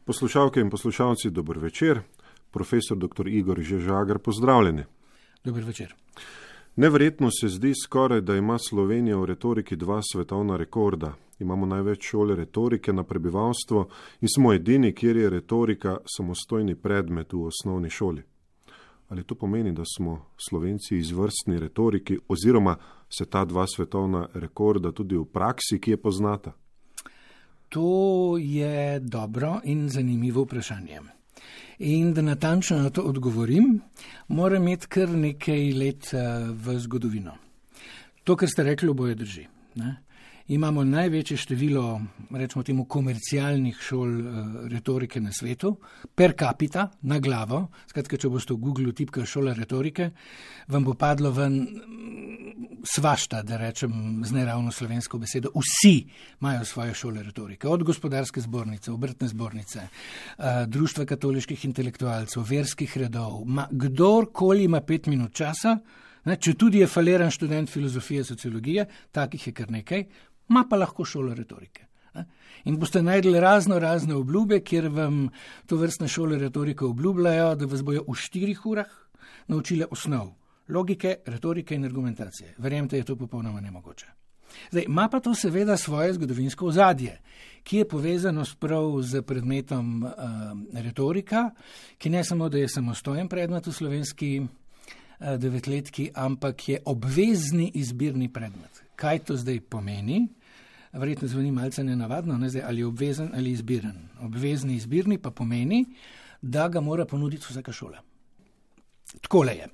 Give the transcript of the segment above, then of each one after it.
Poslušalke in poslušalci, dober večer. Profesor dr. Igor Žežagar, pozdravljeni. Dober večer. Neverjetno se zdi skoraj, da ima Slovenija v retoriki 2 svetovna rekorda. Imamo največ šole retorike na prebivalstvo in smo edini, kjer je retorika samostojni predmet v osnovni šoli. Ali to pomeni, da smo Slovenci izvrstni retoriki oziroma se ta 2 svetovna rekorda tudi v praksi, ki je poznata? To je dobro in zanimivo vprašanje. In da natančno na to odgovorim, moram imeti kar nekaj let v zgodovino. To, kar ste rekli, oboje drži. Ne? Imamo največje število, rečemo temu, komercialnih šol retorike na svetu, per capita, na glavo. Skratka, če boste v Google tipkali šola retorike, vam bo padlo ven svašta, da rečem z neravno slovensko besedo. Vsi imajo svoje šole retorike, od gospodarske zbornice, obrtne zbornice, društva katoliških intelektualcev, verskih redov. Kdorkoli ima 5 minut časa, če tudi je faliran študent filozofije, sociologije, takih je kar nekaj, ima pa lahko šolo retorike. In boste najdli razne obljube, kjer vam to vrstne šole retorike obljubljajo, da vas bojo v 4 urah naučile osnov logike, retorike in argumentacije. Verjemite, je to popolnoma nemogoče. Zdaj, ima pa to seveda svoje zgodovinsko ozadje, ki je povezano prav z predmetom retorika, ki ne samo, da je samostojen predmet v slovenski 9-letki, ampak je obvezni izbirni predmet. Kaj to zdaj pomeni? Verjetno zveni malce nenavadno, ne? Zdaj, ali je obvezen ali izbiren. Obvezni izbirni pa pomeni, da ga mora ponuditi vsaka šola. Takole je.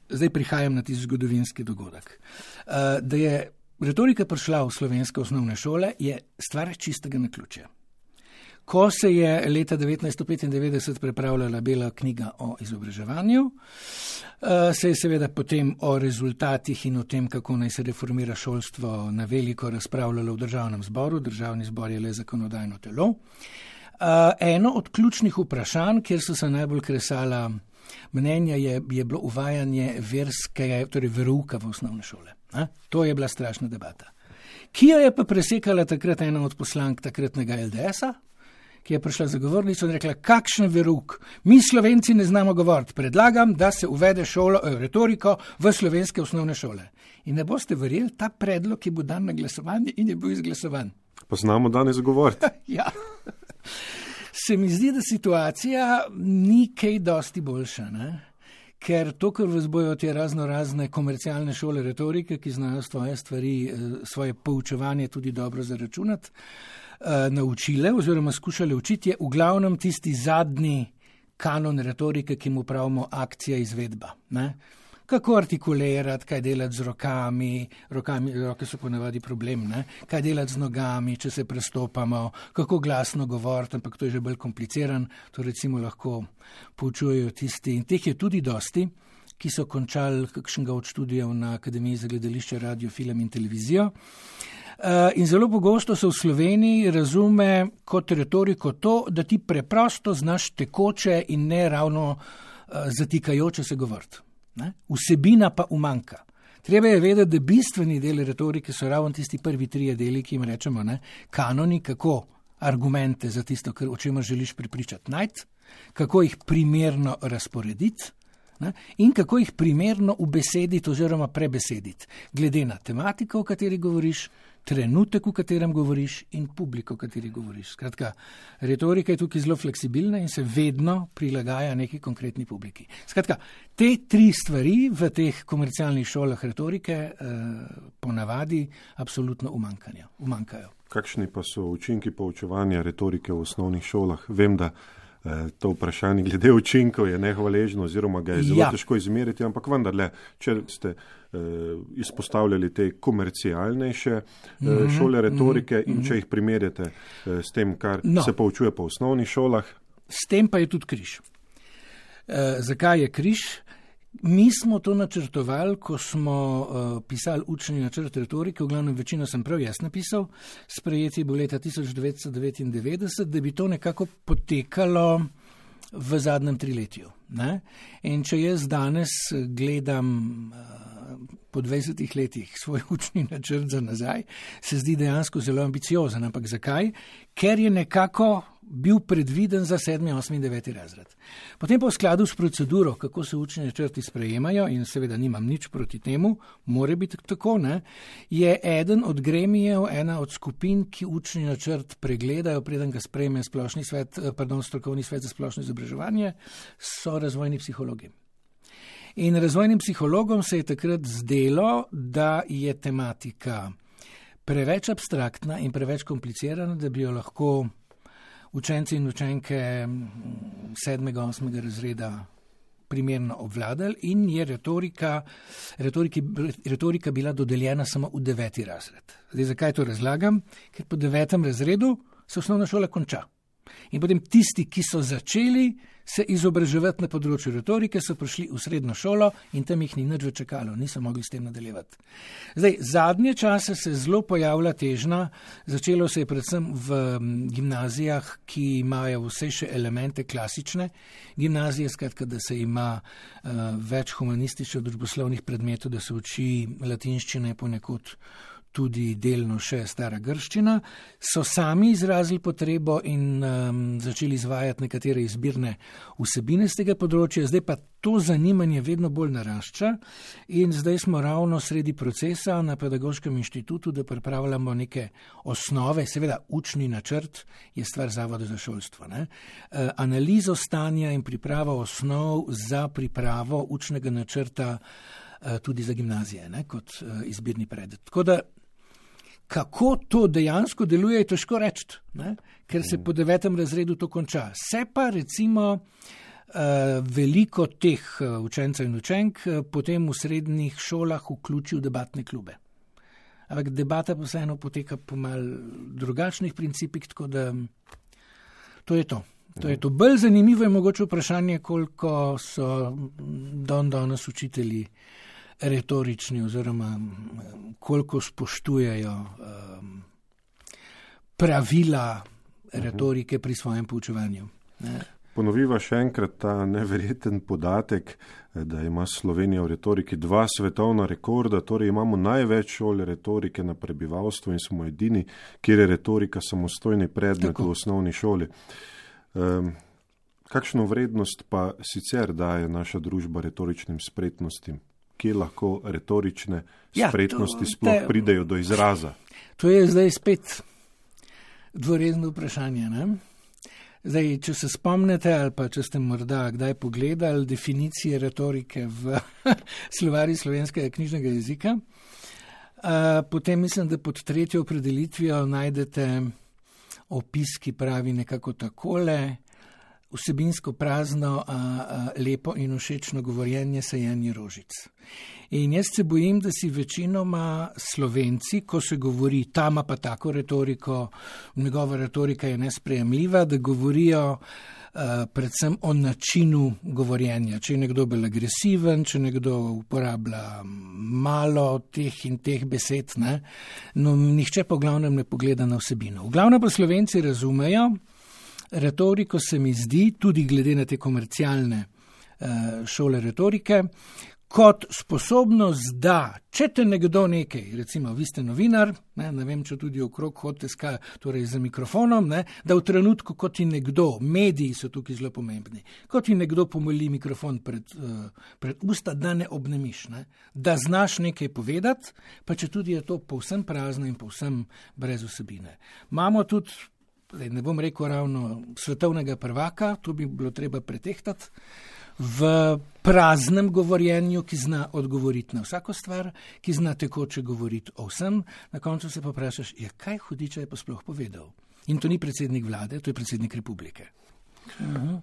Zdaj prihajam na tisti zgodovinski dogodek. Da je retorika prišla v slovenske osnovne šole, je stvar čistega naključja. Ko se je leta 1995 pripravljala bela knjiga o izobraževanju, se je seveda potem o rezultatih in o tem, kako naj se reformira šolstvo, na veliko razpravljalo v državnem zboru. Državni zbor je le zakonodajno telo. Eno od ključnih vprašanj, kjer so se najbolj kresala mnenja, je bilo uvajanje verouka v osnovne šole. To je bila strašna debata. Ki jo je pa presekala takrat ena od poslank takratnega LDS-a, ki je prišla za govornico in rekla, kakšen verouk, mi Slovenci ne znamo govoriti, predlagam, da se uvede retoriko v slovenske osnovne šole. In ne boste verjeli, ta predlog je bil dan na glasovanje in je bil izglasovan. Pa znamo danes govoriti. Ja. Se mi zdi, da situacija ni kaj dosti boljša, ne? Ker to, kar vas bojo te razne komercialne šole retorike, ki znajo svoje stvari, svoje poučevanje tudi dobro zaračunati, naučile oziroma skušale učiti, je v glavnem tisti zadnji kanon retorike, ki mu pravimo akcija izvedba. Ne? Kako artikulirati, kaj delati z rokami, roke so ponavadi problem, ne? Kaj delati z nogami, če se prestopamo, kako glasno govoriti, ampak to je že bolj kompliciran, to recimo lahko poučujejo tisti, in teh je tudi dosti, ki so končali kakšnega od študijev na Akademiji za gledališče, radio, film in televizijo. In zelo pogosto se v Sloveniji razume kot retoriko to, da ti preprosto znaš tekoče in ne ravno zatikajoče se govoriti. Vsebina pa umanjka. Treba je vedeti, da bistveni del retorike so ravno tisti prvi 3 deli, ki jim rečemo, kanoni, kako argumente za tisto, o čemer želiš prepričati najti, kako jih primerno razporediti, in kako jih primerno ubesediti oziroma prebesediti, glede na tematiko, o kateri govoriš, trenutek, v katerem govoriš in publiko, v kateri govoriš. Skratka, retorika je tukaj zelo fleksibilna in se vedno prilagaja neki konkretni publiki. Skratka, te 3 stvari v teh komercialnih šolah retorike ponavadi absolutno umanjkajo. Kakšni pa so učinki poučevanja retorike v osnovnih šolah? Vem, da to vprašanje glede učinkov je nehvaležno oziroma ga je zelo težko izmeriti, ampak vendarle, če ste izpostavljali te komercialnejše šole retorike in če jih primerjate s tem, kar se poučuje po osnovnih šolah. S tem pa je tudi križ. Zakaj je križ? Mi smo to načrtovali, ko smo pisali učni načrt retorike, v glavnem večino sem prav jaz napisal, sprejeti bo leta 1999, da bi to nekako potekalo v zadnjem 3-letju. Ne? In če jaz danes gledam po 20 letih svoj učni načrt za nazaj, se zdi dejansko zelo ambiciozen. Ampak zakaj? Ker je nekako bil predviden za 7., 8., 9. razred. Potem pa v skladu s proceduro, kako se učni načrti sprejemajo, in seveda nimam nič proti temu, mora biti tako, ne, je eden od gremijev, ena od skupin, ki učni načrt pregledajo, preden ga sprejme strokovni svet za splošno izobraževanje, so razvojni psihologi. In razvojnim psihologom se je takrat zdelo, da je tematika preveč abstraktna in preveč komplicirana, da bi jo lahko učenci in učenke 7., 8. razreda primerno obvladali, in je retorika bila dodeljena samo v 9. razred. Zdaj, zakaj to razlagam? Ker po 9. razredu se osnovna šola konča. In potem tisti, ki so začeli se izobraževati na področju retorike, so prišli v srednjo šolo in tam jih ni nič več čakalo, niso mogli s tem nadaljevati. Zdaj, zadnje čase se zelo pojavlja težnja, začelo se je predvsem v gimnazijah, ki imajo vse še elemente klasične gimnazije, skratka, da se ima več humanističnih družboslovnih predmetov, da se uči latinščina, ponekod tudi delno še stara grščina, so sami izrazili potrebo in začeli izvajati nekatere izbirne vsebine z tega področja. Zdaj pa to zanimanje vedno bolj narašča in zdaj smo ravno sredi procesa na Pedagoškem inštitutu, da pripravljamo neke osnove, seveda učni načrt je stvar Zavoda za šolstvo, ne? Analizo stanja in pripravo osnov za pripravo učnega načrta tudi za gimnazije, ne? Kot izbirni predmet. Tako da kako to dejansko deluje, je težko reči, ne? Ker se po 9. razredu to konča. Se pa recimo veliko teh učencev in učenk potem v srednjih šolah vključi v debatne klube. Ampak debata pa vseeno poteka po mal drugačnih principih, tako da to je to. To je to. Bolj zanimivo je mogoče vprašanje, koliko so danes učitelji retorični oziroma koliko spoštujejo pravila retorike pri svojem poučevanju. Ponoviva še enkrat ta neverjeten podatek, da ima Slovenija v retoriki 2 svetovna rekorda, torej imamo največ šol retorike na prebivalstvu in smo edini, kjer je retorika samostojni predmet v osnovni šoli. Kakšno vrednost pa sicer daje naša družba retoričnim spretnostim? Kje lahko retorične spretnosti sploh pridejo do izraza? To je zdaj spet dvorezno vprašanje, ne? Zdaj, če se spomnite ali pa če ste morda kdaj pogledali definicije retorike v slovarju slovenskega knjižnega jezika, potem mislim, da pod 3. opredelitvijo najdete opis, ki pravi nekako takole: vsebinsko prazno, lepo in všečno govorjenje, sajenje rožic. In jaz se bojim, da si večinoma Slovenci, ko se govori, ta ima pa tako retoriko, njegova retorika je nesprejemljiva, da govorijo predvsem o načinu govorjenja. Če je nekdo bolj agresiven, če nekdo uporablja malo teh in teh besed, ne? No, nihče pa v glavnem ne pogleda na vsebino. V glavnem pa Slovenci razumejo retoriko, se mi zdi, tudi glede na te komercialne šole retorike, kot sposobnost, da če te nekdo nekaj, recimo vi ste novinar, ne vem, če tudi okrog hodite torej za mikrofonom, ne, da v trenutku, ko ti nekdo, mediji so tukaj zelo pomembni, ko ti nekdo pomoli mikrofon pred usta, da ne obnemiš, ne, da znaš nekaj povedati, pa če tudi je to povsem prazno in povsem brez vsebine. Imamo tudi, ne bom rekel ravno svetovnega prvaka, to bi bilo treba pretehtati, v praznem govorjenju, ki zna odgovoriti na vsako stvar, ki zna tekoče govoriti o vsem, na koncu se pa vprašaš, kaj hudiča je pa sploh povedal. In to ni predsednik vlade, to je predsednik republike.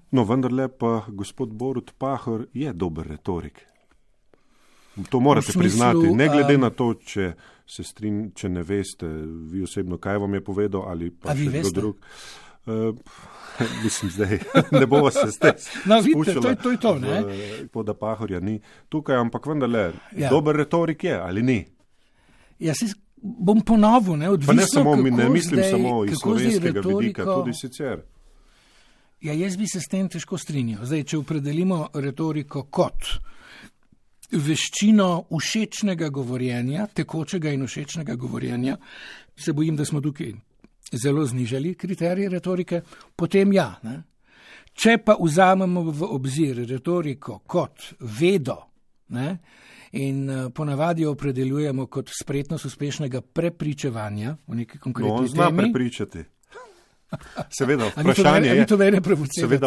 No, vendarle pa gospod Borut Pahor je dober retorik. To morate priznati, ne glede na to, če ne veste vi osebno, kaj vam je povedal, ali pa še kdo drug. Mislim, zdaj ne bova se spuščala, to je to, ne? Da Pahorja ni tukaj, ampak vendarle, dober retorik je, ali ni? Jaz bom ponovil, ne, odvisno, pa ne mislim samo iz slovenskega vidika, tudi sicer. Ja, jaz bi se s tem težko strinjal. Zdaj, če opredelimo retoriko kot veščino všečnega govorjenja, tekočega in všečnega govorjenja, se bojim, da smo tukaj zelo znižali kriterije retorike, potem ja. Ne? Če pa vzamemo v obzir retoriko kot vedo, ne? In ponavadi jo opredeljujemo kot spretnost uspešnega prepričevanja v neki konkretni temi. On zna prepričati. Seveda,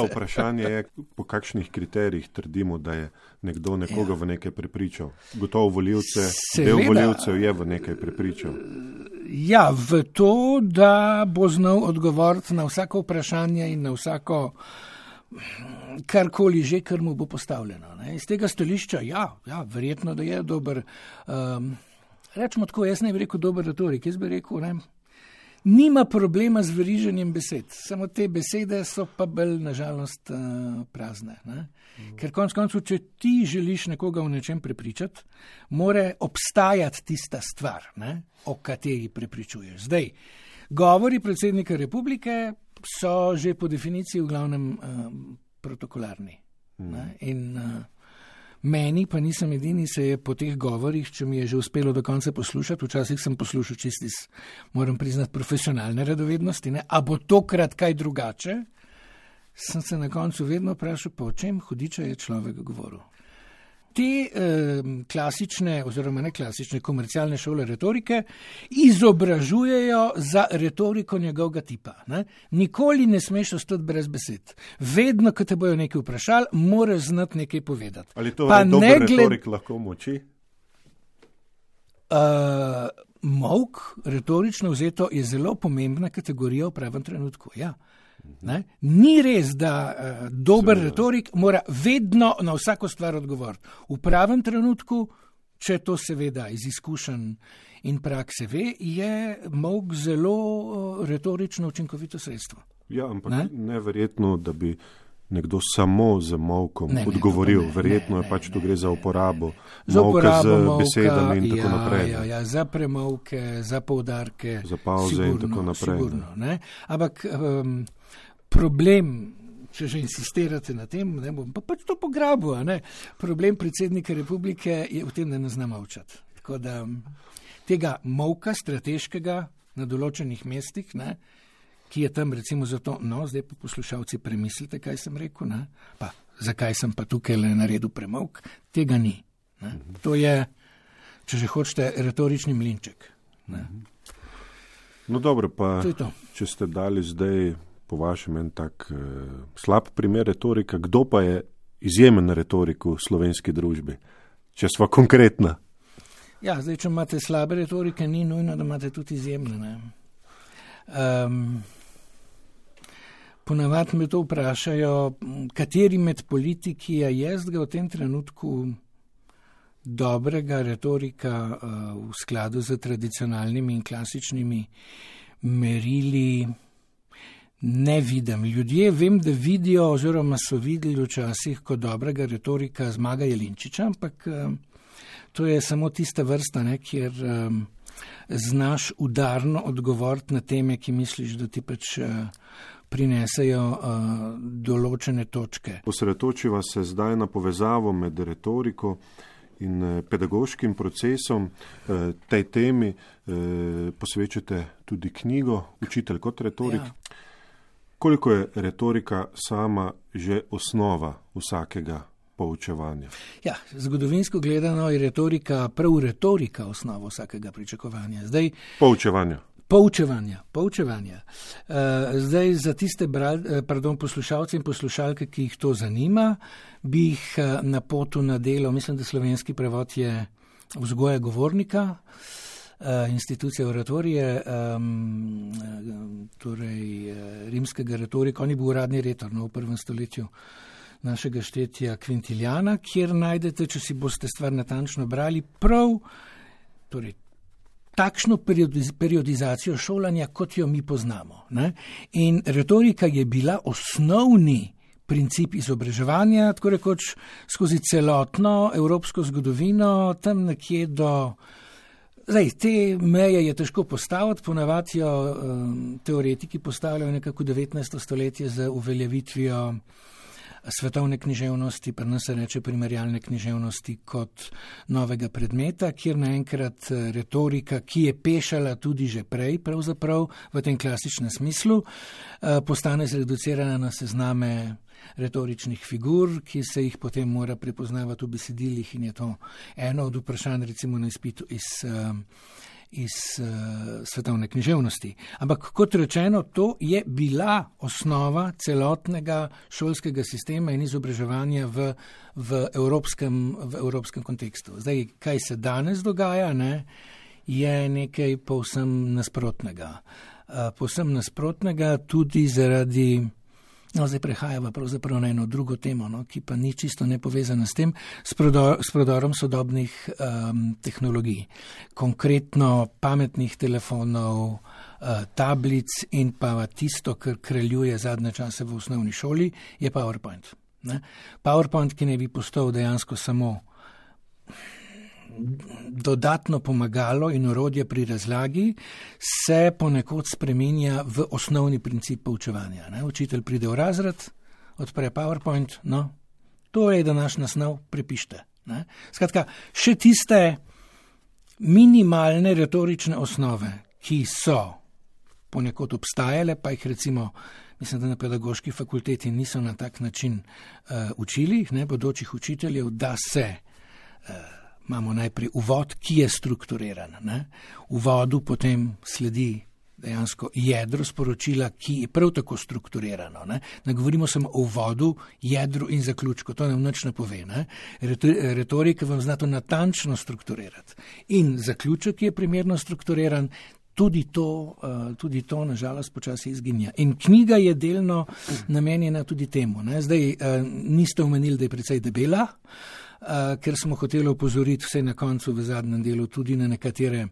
vprašanje je, po kakšnih kriterijih trdimo, da je nekdo nekoga v nekaj prepričal. Gotovo del volivcev je v nekaj prepričal. Ja, v to, da bo znal odgovoriti na vsako vprašanje in na vsako karkoli že, kar mu bo postavljeno. Ne? Iz tega stališča, ja, verjetno, da je dober. Rečemo tako, jaz ne bi rekel dober retorik, jaz bi rekel, ne, nima problema z veriženjem besed, samo te besede so pa bolj nažalost prazne. Ne? Ker konec koncev, če ti želiš nekoga v nečem prepričati, mora obstajati tista stvar, ne, o kateri prepričuješ. Zdaj, govori predsednika republike so že po definiciji v glavnem protokolarni. Ne? In meni, pa nisem edini, se je po teh govorih, če mi je že uspelo do konca poslušati, včasih sem poslušal čisti, moram priznati, profesionalne radovednosti, ne? A bo tokrat kaj drugače, sem se na koncu vedno vprašal, po čem hudiča je človek govoril. Te klasične oziroma neklasične komercialne šole retorike izobražujejo za retoriko njegovega tipa. Ne? Nikoli ne smeš ostati brez besed. Vedno, ko te bojo nekaj vprašali, moraš znati nekaj povedati. Ali to dober retorik lahko moči? Molk, retorično vzeto, je zelo pomembna kategorija v pravem trenutku, ja. Ne? Ni res, da dober retorik mora vedno na vsako stvar odgovoriti. V pravem trenutku, če to seveda iz izkušenj in prakse ve, je molk zelo retorično učinkovito sredstvo. Ja, ampak neverjetno, da bi nekdo samo z molkom odgovoril. Verjetno je pač tu gre za uporabo molka z besedami in tako naprej. Ja, za premolke, za poudarke. Za pauze in tako naprej. Sigurno, ne? Ampak problem, če že insistirate na tem, ne bom pa pač to pograbil, ne? Problem predsednika republike je v tem, da ne zna molčati. Tako da tega molka strateškega na določenih mestih, ne, ki je tam recimo zato, zdaj pa poslušalci premislite, kaj sem rekel, ne, pa zakaj sem pa tukaj le naredil premolk, tega ni. Ne. To je, če že hočete, retorični mlinček. Ne. No dobro, pa to. Če ste dali zdaj po vašem en tak slab primer retorika, kdo pa je izjemen retorik v slovenski družbi, če sva konkretna? Ja, zdaj, če imate slabe retorike, ni nujno, da imate tudi izjemne. Ne? Ponavadi me to vprašajo, kateri med politiki je jaz ga v tem trenutku dobrega retorika v skladu z tradicionalnimi in klasičnimi merili ne vidim. Ljudje vem, da vidijo oziroma so videli včasih kot dobrega retorika Zmaga Jelinčiča, ampak to je samo tista vrsta, ne, kjer znaš udarno odgovoriti na teme, ki misliš, da ti pač prinesejo določene točke. Osredotočiva se zdaj na povezavo med retoriko in pedagoškim procesom. Tej temi posvečate tudi knjigo Učitelj kot retorik. Ja. Koliko je retorika sama že osnova vsakega poučevanja? Ja, zgodovinsko gledano je retorika osnova vsakega pričakovanja. Zdaj, Poučevanja. Zdaj za tiste poslušalce in poslušalke, ki jih to zanima, bi jih napotil na delo, mislim, da slovenski prevod je Vzgoja govornika, institucija oratorije, torej rimskega retorika. On je bil uradni retor v 1. stoletju našega štetja Quintiliana, kjer najdete, če si boste stvar natančno brali, prav torej, takšno periodizacijo šolanja, kot jo mi poznamo. Ne? In retorika je bila osnovni princip izobraževanja, tako rekoč skozi celotno evropsko zgodovino, tam nekje do Zdaj, te meje je težko postaviti, ponavadi jo teoretiki postavljajo nekako 19. stoletje z uveljavitvijo svetovne književnosti, pri nas se reče primerjalne književnosti kot novega predmeta, kjer naenkrat retorika, ki je pešala tudi že prej, pravzaprav v tem klasičnem smislu, postane zreducirana na sezname retoričnih figur, ki se jih potem mora prepoznavati v besedilih in je to eno od vprašanj recimo na izpitu iz svetovne književnosti. Ampak kot rečeno, to je bila osnova celotnega šolskega sistema in izobraževanja v evropskem kontekstu. Zdaj, kaj se danes dogaja, je nekaj povsem nasprotnega. Povsem nasprotnega tudi zaradi, zdaj prehajava pravzaprav na eno drugo temo, ki pa ni čisto nepovezana s tem, s prodorom sodobnih tehnologij. Konkretno pametnih telefonov, tablic in pa tisto, kar kraljuje zadnje čase v osnovni šoli, je PowerPoint. PowerPoint, ki ne bi postal dejansko samo dodatno pomagalo in orodje pri razlagi, se ponekod spreminja v osnovni princip poučevanja. Učitelj pride v razred, odpre PowerPoint, to je današnja snov, prepište. Skratka, še tiste minimalne retorične osnove, ki so ponekod obstajale, pa jih recimo, mislim, da na pedagoški fakulteti niso na tak način učili, bodočih učiteljev, da se imamo najprej uvod, ki je strukturiran. V uvodu potem sledi dejansko jedro sporočila, ki je prav tako strukturirano. Ne govorimo samo o uvodu, jedru in zaključku, to nam nič ne pove. Retorika vam zna to natančno strukturirati. In zaključek je primerno strukturiran, tudi to nažalost počasi izginja. In knjiga je delno namenjena tudi temu. Zdaj, niste omenili, da je precej debela, ker smo hoteli opozoriti vse na koncu v zadnjem delu tudi na nekatere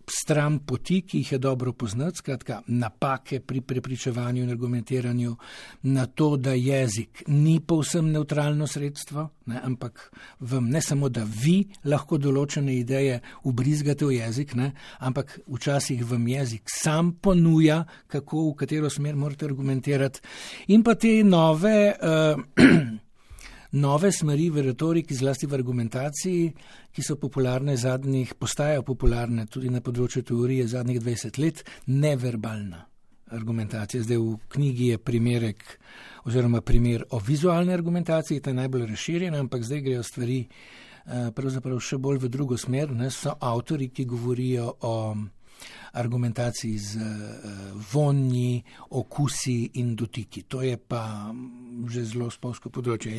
stran poti, ki jih je dobro poznati, skratka napake pri prepričevanju in argumentiranju, na to, da jezik ni povsem nevtralno sredstvo, ampak vam ne samo, da vi lahko določene ideje ubrizgate v jezik, ampak včasih vam jezik sam ponuja, kako, v katero smer morate argumentirati. In pa te nove smeri v retoriki, zlasti v argumentaciji, ki so postajajo popularne tudi na področju teorije zadnjih 20 let, neverbalna argumentacija. Zdaj v knjigi je primer o vizualni argumentaciji, ta je najbolj razširjena, ampak zdaj grejo stvari pravzaprav še bolj v drugo smer. So avtori, ki govorijo o argumentaciji z vonji, okusi in dotiki. To je pa že zelo spolsko področje.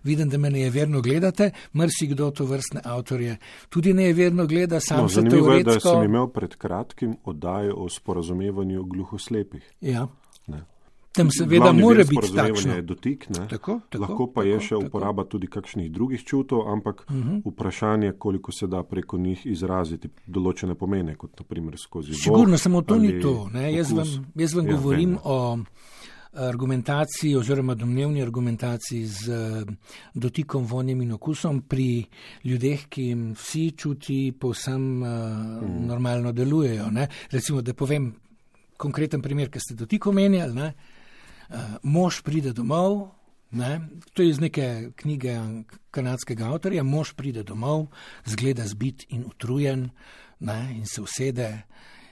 Vidim, da me nejeverno gledate, marsikdo to vrstne avtorje tudi nejeverno gleda, sam se teoretsko... Zanimivo je, da sem imel pred kratkim oddajo o sporazumevanju gluhoslepih. Ja. Tam seveda mora biti takšno. Je dotik, lahko pa je še uporaba tudi kakšnih drugih čutov, ampak vprašanje, koliko se da preko njih izraziti določene pomene, kot naprimer skozi voh. Sigurno, samo to ni to. Jaz vam govorim o argumentaciji oziroma domnevni argumentaciji z dotikom, vonjem in okusom pri ljudeh, ki jim vsi čuti povsem normalno delujejo. Recimo, da povem konkreten primer, ki ste dotik omenjali, mož pride domov, to je iz neke knjige kanadskega avtorja, mož pride domov, zgleda zbit in utrujen, in se usede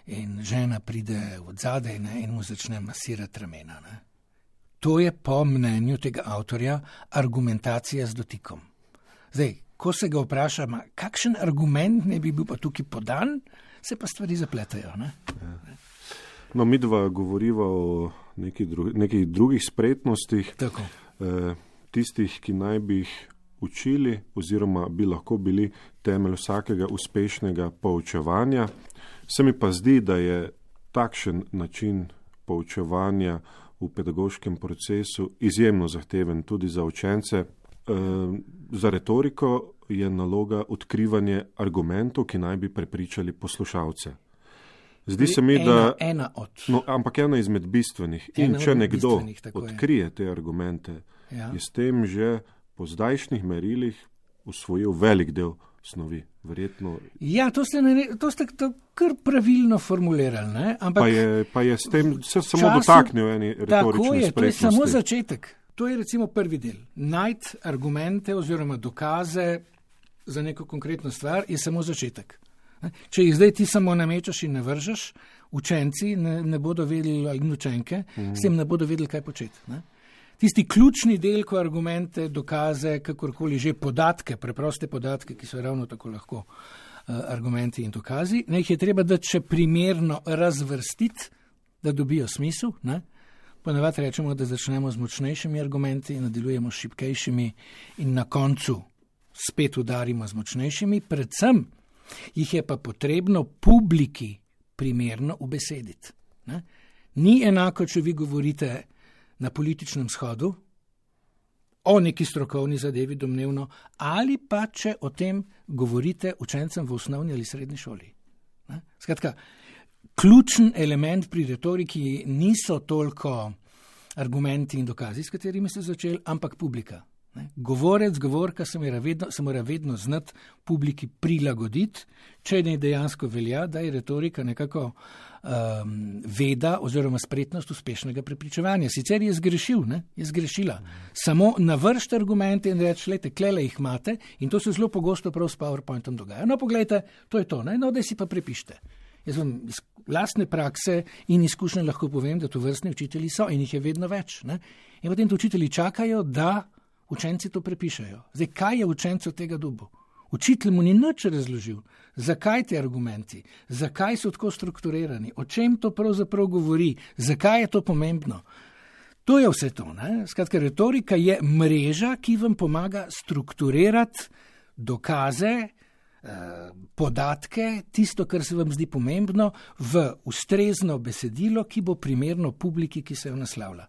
in žena pride od zadaj in mu začne masirati ramena. To je po mnenju tega avtorja argumentacija z dotikom. Zdaj, ko se ga vpraša, kakšen argument ne bi bil pa tukaj podan, se pa stvari zapletajo. Mi dva govoriva o nekih drugih spretnostih, tistih, ki naj bi jih učili oziroma bi lahko bili temelj vsakega uspešnega poučevanja. Se mi pa zdi, da je takšen način poučevanja v pedagoškem procesu izjemno zahteven tudi za učence. Za retoriko je naloga odkrivanje argumentov, ki naj bi prepričali poslušalce. Zdi se mi, da ampak ena izmed bistvenih. In če nekdo odkrije te argumente, je s tem že po zdajšnjih merilih usvojil velik del snovi. Verjetno. Ja, to ste kar pravilno formulirali, ne? Ampak pa je s tem se samo dotaknil eni retorične spretnosti. To je samo začetek. To je recimo prvi del. Najti argumente oziroma dokaze za neko konkretno stvar je samo začetek. Če jih zdaj ti samo namečaš in ne vržeš, učenci ne bodo vedeli, ali učenke, s tem ne bodo vedeli, kaj početi. Ne? Tisti ključni del, ko argumente, dokaze, kakorkoli že podatke, preproste podatke, ki so ravno tako lahko argumenti in dokazi, ne jih je treba dati še primerno razvrstiti, da dobijo smisel. Ne? Ponavadi rečemo, da začnemo z močnejšimi argumenti, nadaljujemo s šibkejšimi in na koncu spet udarimo z močnejšimi. Predvsem jih je pa potrebno publiki primerno ubesediti. Ne? Ni enako, če vi govorite na političnem shodu o neki strokovni zadevi domnevno, ali pa če o tem govorite učencem v osnovni ali srednji šoli. Ne? Skratka, ključen element pri retoriki niso toliko argumenti in dokazi, s katerimi ste začeli, ampak publika. Ne? Govorec, govorka se mora vedno znati publiki prilagoditi, če ne dejansko velja, da je retorika nekako veda oziroma spretnost uspešnega prepričevanja. Sicer je zgrešil, je zgrešila. Samo navršite argumente in reči, lejte, klele jih imate in to se zelo pogosto prav s PowerPointom dogaja. No, poglejte, to je to, no, da si pa prepišite. Jaz vam iz lastne prakse in izkušnje lahko povem, da to vrstni učitelji so in jih je vedno več. Ne? In potem to učitelji čakajo, da učenci to prepišajo. Zdaj, kaj je učencu tega dobu? Učitelj mu ni nič razložil, zakaj ti argumenti, zakaj so tako strukturirani, o čem to pravzaprav govori, zakaj je to pomembno. To je vse to. Ne? Skratka, retorika je mreža, ki vam pomaga strukturirati dokaze, podatke, tisto, kar se vam zdi pomembno, v ustrezno besedilo, ki bo primerno publiki, ki se jo naslavlja.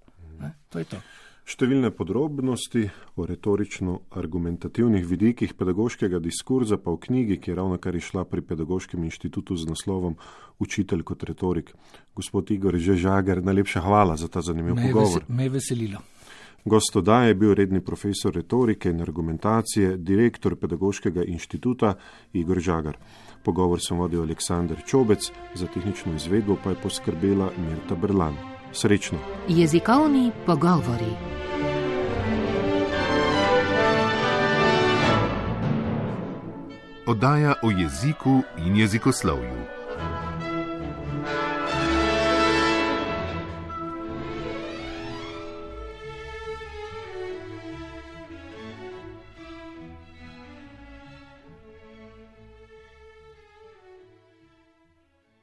To je to. Številne podrobnosti o retorično-argumentativnih vidikih pedagoškega diskurza pa v knjigi, ki je ravno kar išla pri Pedagoškem inštitutu z naslovom Učitelj kot retorik. Gospod Igor Žagar, najlepša hvala za ta zanimiv pogovor. Me je veselilo. Gost oddaje je bil redni profesor retorike in argumentacije, direktor Pedagoškega inštituta Igor Žagar. Pogovor sem vodil Aleksander Čobec, za tehnično izvedbo pa je poskrbela Mirta Berlan. Srečno. Jezikovni pogovori. Oddaja o jeziku in jezikoslovju.